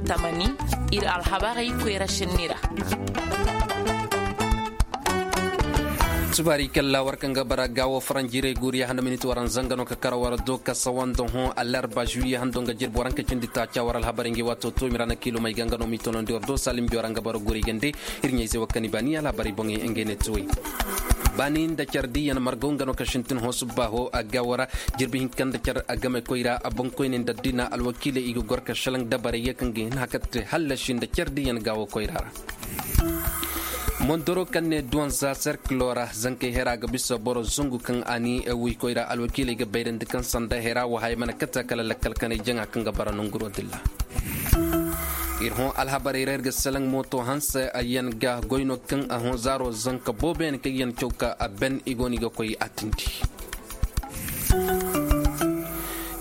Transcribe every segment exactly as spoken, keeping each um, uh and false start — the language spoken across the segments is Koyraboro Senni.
Tamani, ir alhabarey koyra šenni ra. Subaari kalla war kaŋ ga bara gaawo faranjiirey guuriya hando miniti waran zanga no ka kara war do ka sawanda hõ alarba juwiye hando nga jirbi waranka cindi taaca war alhabarey ngi waato to mirana kiilumey ga nga no mi tonandi war do salim bi waran ga bara guuri gande. Ir ɲayze wa kani baani alhabarey boŋey ngey ne tuwey. Baani nda car diiyaŋ margaw nga no ka sintin hõ subbaaho a gaawo ra. Jirbi hinka nda car a game koyra a boŋkoyney nda addina alwakiiley i ga gor ka šelaŋ dabarey ga kaŋ ga hin haka te hallasi nda car diiyaŋ gaawo koyra ra. Mondoro kaŋ ne duwanza serkilo ra zankey hera ga bisa boro zangu kaŋ a ni wuykoy ra alwakiiley ga bayrandi kaŋ sanda hera wo haya mana kate kala lakkal kanay jaŋa kaŋ ga bara nanguro dilla. Ir hõ alhabarey ra ir ga salaŋ mooto hanse yaŋ ga goy no kaŋ a hõ zaaro zanka boobo yaŋ kaŋ yaŋ caw ka a ben i go no i ga koy a tindi.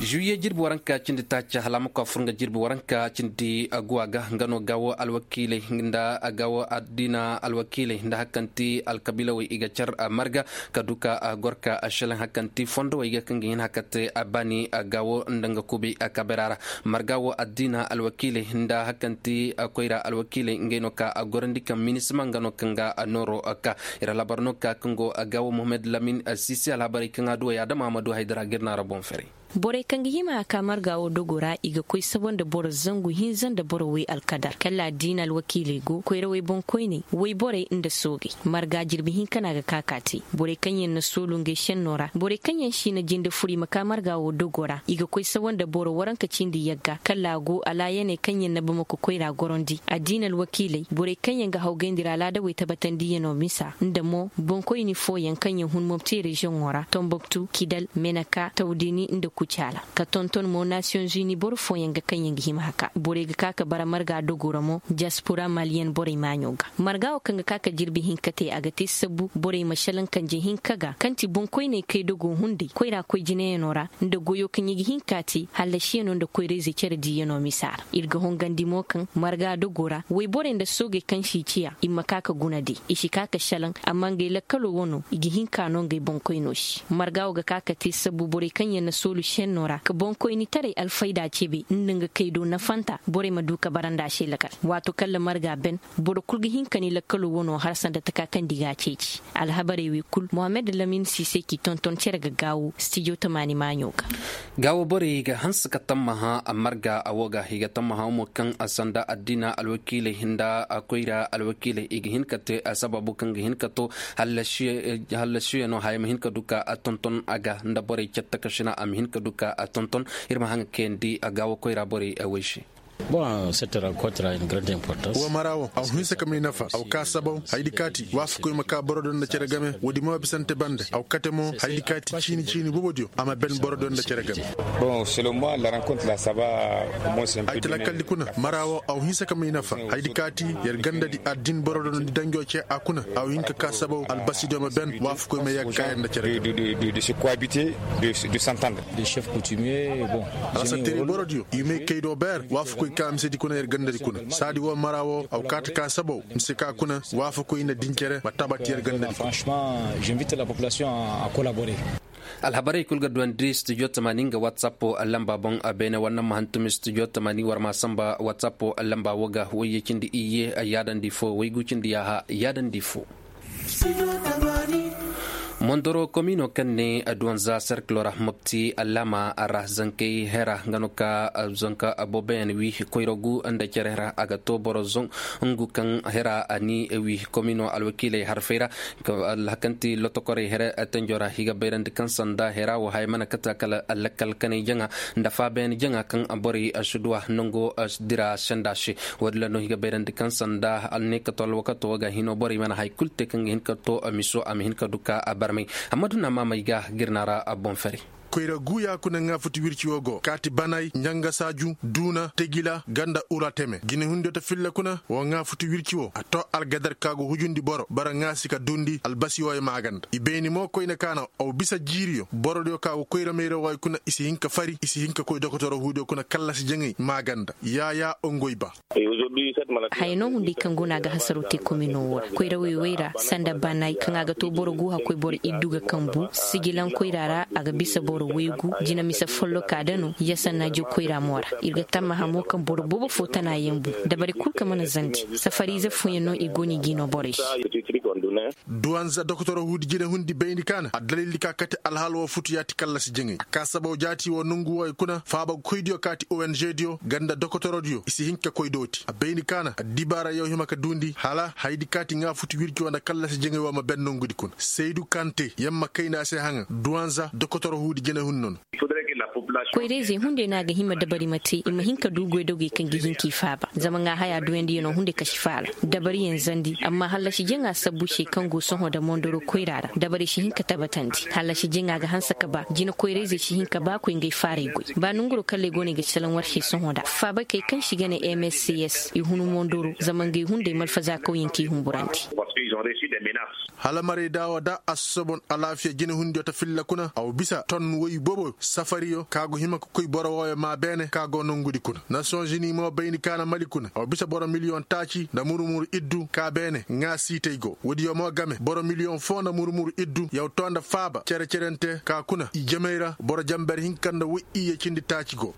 Juwiye jirbi waranka cindi taaca hala a ma koy a fur nga jirbi waranka cindi guwa ga nga no gaawo alwakiiley nda gaawo addiina alwakiiley nda hakanti alkabiilawey i ga car marga ka du ka gor ka šelaŋ hakanti fondowey ga kaŋ ga hin hakate baani gaawo nda nga kubi kabera ra. Marga wo addiina alwakiiley nda hakanti koyra alwakiiley ngey no ka gorandi kaŋ minisima nga no kaŋ ga nooro ka ir alhabar no ka kaŋ go gaawo muhammad lamin sisi alhabarey kaŋ a duwey adama ma du haydara ga ir naara boŋ ferey. Borey kaŋ ga hima a ka marga wo dogo ra i ga koy sabo nda boro zangu hinza nda boro way alkadar kala addiina alwakiiley go koyrawey boŋkoyney wayborey nda soogey. Marga jirbi hinka no a ga ka ka te borey kaŋ yaŋ na soolu ngey šenno ra borey kaŋ yaŋ si na jinde fur i ma ka marga wo dogo ra i ga koy sabo nda boro waranka cindi yagga kala a go alaayaney kaŋ yaŋ na bamako koyra gorandi addiina alwakiiley borey kaŋ yaŋ ga hawgayndi ra alaadawey tabatandiyaŋo misa nda mo boŋkoyni fooyaŋ kaŋ yaŋ hun mobti reziyoŋo ra tomboktu kidal meneka tawdini nda kucaala ka tonton mo nasiyoŋ zuni boro fooyaŋ ga kaŋ yaŋ ga hima haka borey ga ka ka bara marga dogo ra mo diaspora maliyen borey maaɲo ga. Marga wo kaŋ ga ka ka jirbi hinka te a ga te sabu borey ma šelaŋ kanje hinka ga kaŋ ti boŋkoyney kay dogo hunday koyra koy jinayaŋo ra nda goyo kaŋ i ga hin ka te hallasiyaŋo nda koyrayzey care diiyaŋo misa ra. Ir ga hongandi mo kaŋ marga dogo ra wayborey nda soogey kaŋ si ciya i ma ka ka guna de i si ka ka šelaŋ amma ngey lakkalo wano i ga hin ka no ngey boŋkoyno se. Marga wo ga ka ka te sabu borey kaŋ yaŋ na soolu šenno ra ka boŋkoynitaray alfayda cebe nda nga kaydo nafanta borey ma du ka bara nda a se lakkal. Waato kaŋ ra marga ben boro kul ga hin ka ni lakkalo wano har sanda taka kaŋ di ga a ceeci. Alhabarey wey kul mohammed lamin sise k'i tonton cere ga gaawo stijo tamaani maaɲo ga. Gaawo borey ga hanse ka tammaha marga a wo ga i ga tammaha mo kaŋ sanda addiina alwakiiley nda koyra alwakiiley i ga hin ka te sababu kaŋ ga hin ka to hallasiyaŋo haya ma hin ka du ka tonton a ga nda borey catta ka sina a ma hin ka du ka tonton. Ir ma haŋ ga kayandi gaawo koyra borey wey se. Bon, cette rencontre a une grande importance. Wa mara wo aw hinsa ka may nafa aw ka sabaw haydi kaati waafakoy ma ka boro do nda cere game woodi mo bisante bande aw kate mo haydi kaati ciini ciini bobodiyo a ma ben boro do nda cere game. Bon, selon moi la rencontre la saba. Ay talakaldi kuna mara wo aw hinsa ka may nafa haydi kaati yer gandadi addin boro do nda danjo ce a kuna aw hinka ka sabaw albasidiyo ma ben waafakoy ma yagga yer nda cere game. De se cohabiter, de s'entendre. Des chefs coutumiers. Bon, ala sateri borodiyo i may kaydo beer waafakoy ka misedi kuna yer gandadi kuna saadi wo mara wo aw kaati ka sabaw mise ka kuna waafakoy nda dincere ma tabati yer gandadi kuna. Franchement, j'invite la population à collaborer. Alhabarey kul ga duwandi studio tamaani nga whatsapp lamba boŋ. Beene war na ma hantumi studio tamaani war ma samba whatsapp lamba wo ga wayye cindi iyye yaadandi fo waygu cindi yaaha yaadandi fo. Mondoro komino kaŋ ne duwanza serkilo ra mopti allama ra zankey hera nga no ka zanka booboyaŋ wi koyrogu nda cere hera a ga to boro zon ngu kaŋ hera a ni wi komino alwakiiley harfey ra. Alhakanti lotokorey here tenjo ra i ga bayrandi kaŋ sanda hera wo haya mana kata kala lakkal kanay jaŋa nda faabayaŋ jaŋa kaŋ borey si duwa nango dira senda se. Woodin ra no i ga bayrandi kaŋ sanda alnekato alwakato wo ga hino borey mana hay kulu te kaŋ ga hin ka to miso a ma hin ka du ka barmay. Amma duna maamay ga girna ra boŋ fari. Koyra guuya kuna ŋaafuti wirci wo go kaati banay ɲanga saaju duuna tegila ganda ura teme jine hundiyo ta filla kuna wo ŋaafuti wirci wo a to algadar ka go hujundi boro bara ŋaasi ka duundi albasi wo ye maaganda i bayni mo koyne ka na aw bisa jiiriyo borodiyo ka go koyra mayra wo ay kuna i si hin ka fari i si hin ka koy dokotoro huudiyo kuna kallasi jaŋay maaganda yaayaa ongoy ba. Haya no hunday kaŋ go no a ga hasaro te komino wo ra koyrawey wey ra sanda banay kaŋ a ga to boro gu hakkoy boro iddu ga kambu sijilankoyra ra a ga bisa boro. Boro waygu jina mise folloka da no yasanna jokoyra mo ra. Ir ga tammaha mo kaŋ boro boobo fo tana yaŋ bu dabari kul kaŋ mana zandi. Safariize fooyaŋ no i go no i g'i no borey se. Duwanza dokotoro huudi jine hundi bayndi kaana addalildi ka kate alhaal woo futu yaati kallasi jaŋay a ka sabaw jaati woo nongu wooyo kuna faabakoydiyo kaati ong diyo ganda dokotorodiyo i si hin ka koy dooti a bayndi kaana addibaara yaw hima ka duundi hala hayadi kaati ŋaa futu wirci woo nda kallasi jaŋay woo ma ben nongudi kuna saydu kante yamma kayna se haŋa duwanza dokotoro huudi jine hundi nono. Koyra-izey hunday no a ga hima dabari ma te i ma hin ka du goydogey kaŋ ga hin k'i faaba zama ŋaa haya duyandiyanoo hunday kasi faala dabariyaŋ zandi amma hallasi jaŋa sabbu se kaŋ go sohõ nda mondoro koyra ra dabarey si hin ka tabatandi hallasi jaŋa ga hanse ka ba jina koyra-izey si hin ka ba koy ngey faarey goy ba nonguroo kalley go no i ga salaŋ war se sohõ nda faabakey kaŋ se i ga ne mscs i hun mondoro zama ngey hunday malfazaa kawyaŋ k'i humburandi. Hala marayda woo da assosoo boŋ alaafiya jinehundiyo ta filla kuna a wa bisa ton woy boobo safariyo ka go hima ka koy boro wooyo maa beene ka go nongudi kuna nasiyonzini mo bayndi kaana mali kuna a wa bisa boro miliyoŋ taaci nda muru-muru iddu ka beene ŋaasiitey go woodiyo mo game boro miliyoŋ foo nda muru-muru iddu yaw too nda faaba cere-cerente ka kuna ijemey ra boro jamber hinka nda woy iyye cindi taaci go.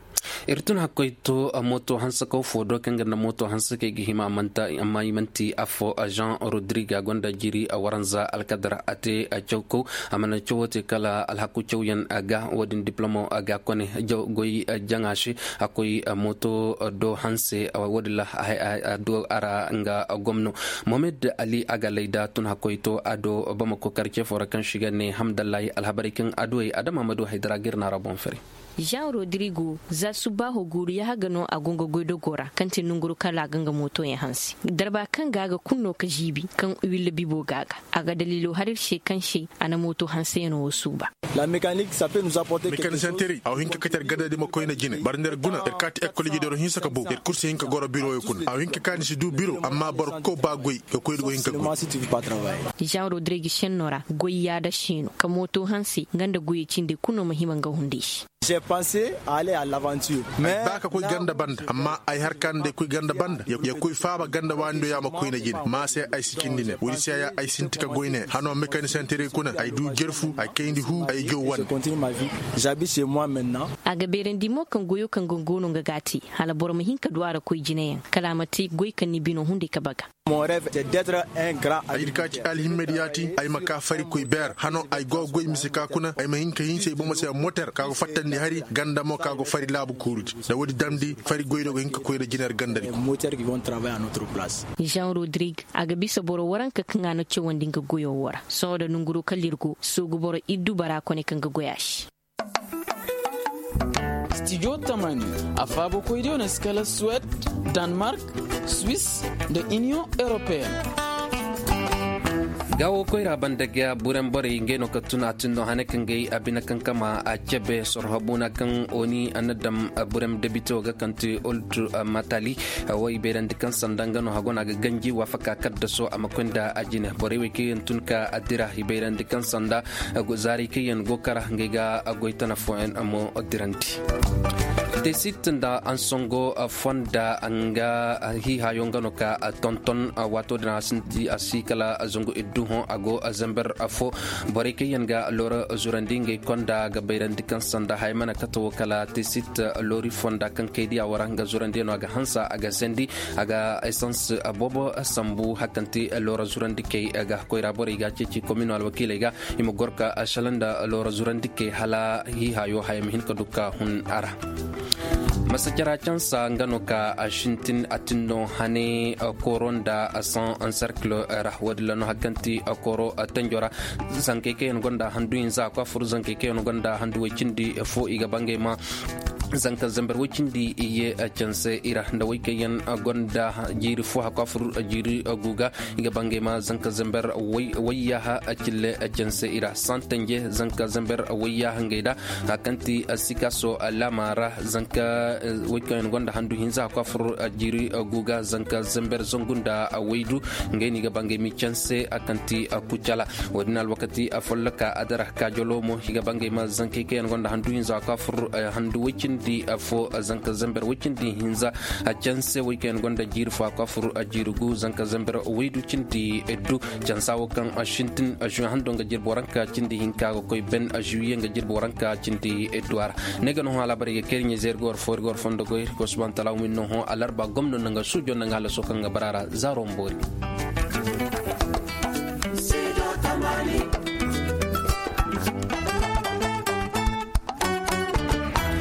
Ir tun hakkoy to mooto hanse kaw foo do kaŋ ga nda mooto hanse kay ga hima amma i man'ti affoo jean rodrigue a gonda jiiri a waranza alkadar a te caw kaw a mana cawo te kala alhaku cawyaŋ ga wo-din diplomo ga kone goy jaŋa se a koy mooto do hanse wo-din ra a do a ra nga gomno. Mohamed ali a ga layda tun hakkoy to a do bamako karce foo ra kaŋ se i ga ne hamdallahi alhabarey kaŋ a duwey adama ma du haydara ga ir naara boŋ fari. Jean rodrigo za subbaaho guuru yahagano a go nga goydogoo ra kaŋ ti nonguru kala a ga nga mootoyaŋ hanse darba kaŋ ga a ga kul no ka žiibi kaŋ willa bibo ga a ga a ga daliilo har ir se kaŋ se a na mooto hanseyanoo wo suuba. Mekanisiyanteerey a wa hin ka kate ir gandadi ma koyna jine bari nda ir guna ir kaati ekol ijediyo ra hinsa ka bow ir kul si hin ka goro biroyo kuna a wa hin ka kaa ni si du biro amma boro kul ba goy ka koy ir go hin ka goy. Jean rodrigo šennoo ra goy yaada se no ka mooto hanse nga nda goyey cindey kul no ma hima nga hunday se. Ay ba ka koy ganda banda amma ay har ka nda ay koy ganda banda ya koy faaba ganda waani do ya ma koyna jine ma se ay si cindi ne woodi se ya ay sinti ka goy ne hano mekanisanteerey kuna ay du jerfu ay kayndi huu ay jow wane. A ga beerandi mo kaŋ goyo kaŋ ga go no nga ga a te hala boro ma hin ka du a ra koy jineyaŋ kala a ma te goy kaŋ ni bino hunday ka baga. Ayir ka ci alhimmedi yaati ay ma ka fari koy beer hano ay go goy mise ka kuna ay ma hin ka hinse ay bomo se moter ka go fattandi hari ganda mo ka go fari laabu kuurudi nda woodi damndi fari goydo go hin ka koy nda jiner gandadi. Jean rodrigue a ga bisa boro waranka kaŋ a na cawandi nga goyo wo ra sohõ nda nonguro kala ir go soogu boro iddu bara kone kaŋ ga goy a se. Studio tamani a faabakoydiyo na si kala suwed, danmark, swiss, nda iniyoŋ europeen. Gaawo koyra banda ga burem borey ngey no ka tun a tinno hane kaŋ gay a bine kaŋ kama a cebe sorho buuna kaŋ oni a na dam burem debito ga kaŋ ti old matali. Wo i bayrandi kaŋ sanda nga no hago no a ga ganji waafaka kaddaso a ma koy nda a jine borey wey kaŋ yaŋ tun ka a dira i bayrandi kaŋ sanda. Zaarey kaŋ yaŋ go kara ngey ga goy tana fooyaŋ mo dirandi. Tesit nda ansongo fonda nga hiihayo nga no ka tonton waato din a sinti a si kala zangu iddu hõ a go zember fo. Borey kaŋ yaŋ ga loora zurandi ngey konda ga bayrandi kaŋ sanda haya mana kate wo kala tesit loori fonda kaŋ kay diya wara nga zurandi no a ga hansa a ga sendi a ga esans boobo sambu hakanti loora zurandi kay ga koyra borey ga ceeci komino alwakiiley ga i ma gor ka shala nda loora zurandi kay hala hiihayo haya ma hin ka du ka hun a ra. Masa cara cansa nga no ka a sintin a tinno hane kooro nda san cercle ra wo-din ra no hakanti kooro tanjo ra. Zankey kaŋ yaŋ gonda handu hinza a kwaafur zankey kaŋ yaŋ gonda handu way cindi fo i ga bangay ma zanka zambar way cindi i ye canse i ra nda way kaŋ yaŋ gonda jiiri fo a kwaafur jiiri guga. I ga bangay ma zanka zambar wayyaha cille canse i ra santanje zanka zambar wayyaha ngey da. A kaŋ ti sikaso laama ra zanka way kaŋ yaŋ gonda handu hinza a kwaafur jiiri guga zanka zambar zangu nda waydu. Ngey no i ga bangay ma i canse a kaŋ ti kucala. Wo-din alwakati folloka adara kaajalo mo i ga bangay ma zankey kaŋ yaŋ gonda handu hinza a kwaafur handu way cindi. Di afo zanka zamber way cindi hinza. A canse way kaŋ yaŋ gonda jiiri fo a ko a fur a jiiri gu zanka zamber way du cindi du. Cansa wo kaŋ a sintin a juwe hando nga jirbo ranka cindi hinka ga koy ben a juwe nga jirbo ranka cindi du a ra. Ne ga no hõ alaabarey ga kay ir ɲa zeeri ga war fo ir ga war fondo goy ir ga war suban talaaw min no hõ alarba gomno nda nga suujo nda nga halaso kaŋ ga bara a ra zaaro ma boori.